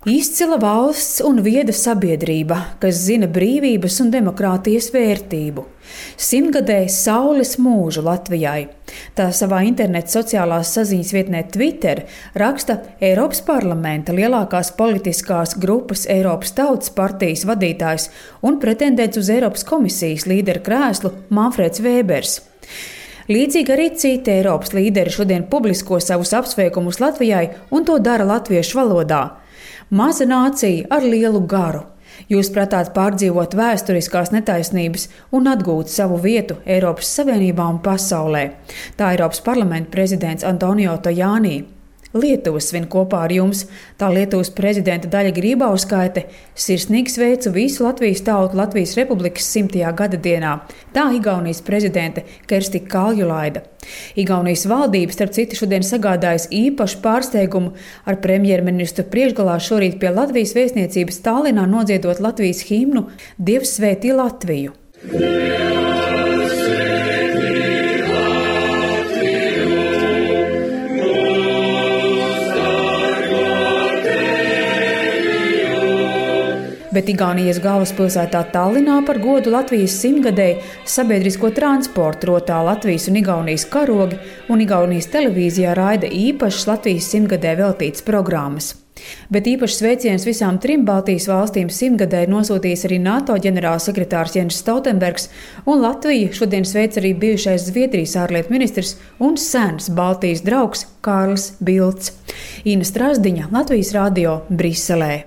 Izcila valsts un vieda sabiedrība, kas zina brīvības un demokrātijas vērtību. 100-gadē saules mūžu Latvijai. Tā savā interneta sociālās saziņas vietnē Twitter raksta Eiropas parlamenta lielākās politiskās grupas Eiropas Tautas partijas vadītājs un pretendents uz Eiropas komisijas līdera krēslu Manfreds Vēbers. Līdzīgi arī citi Eiropas līderi šodien publisko savus apsveikumus Latvijai un to dara latviešu valodā. Maza nācija ar lielu garu. Jūs prātāt pārdzīvot vēsturiskās netaisnības un atgūt savu vietu Eiropas Savienībā un pasaulē. Tā Eiropas parlamenta prezidents Antonio Tajani. Lietuva svin kopā ar jums, tā Lietuvas prezidenta Daļa Grybauskaite sirsnīgi sveicu visu Latvijas tautu Latvijas Republikas 100. gada dienā, tā Igaunijas prezidente Kersti Kaljulaida. Igaunijas valdība, starp citu, šodien sagādājas īpašu pārsteigumu ar premjerministru priekšgalā šorīt pie Latvijas vēstniecības Tallinā nodziedot Latvijas himnu Dievs svētī Latviju. Bet Igaunijas galvaspilsētā Tallinā par godu Latvijas 100-gadēji sabiedrisko transportu rotā Latvijas un Igaunijas karogi, un Igaunijas televīzijā raida īpašas Latvijas 100-gadē veltītas programmas. Bet īpašs sveiciens visām 3 Baltijas valstīm 100-gadē ir nosūtījis arī NATO ģenerālsekretārs Jens Stoltenbergs, un Latviju šodien sveic arī bijušais Zviedrijas ārlietu ministrs un sens Baltijas draugs Kārlis Bilds. Ina Strazdiņa, Latvijas radio, Briselē.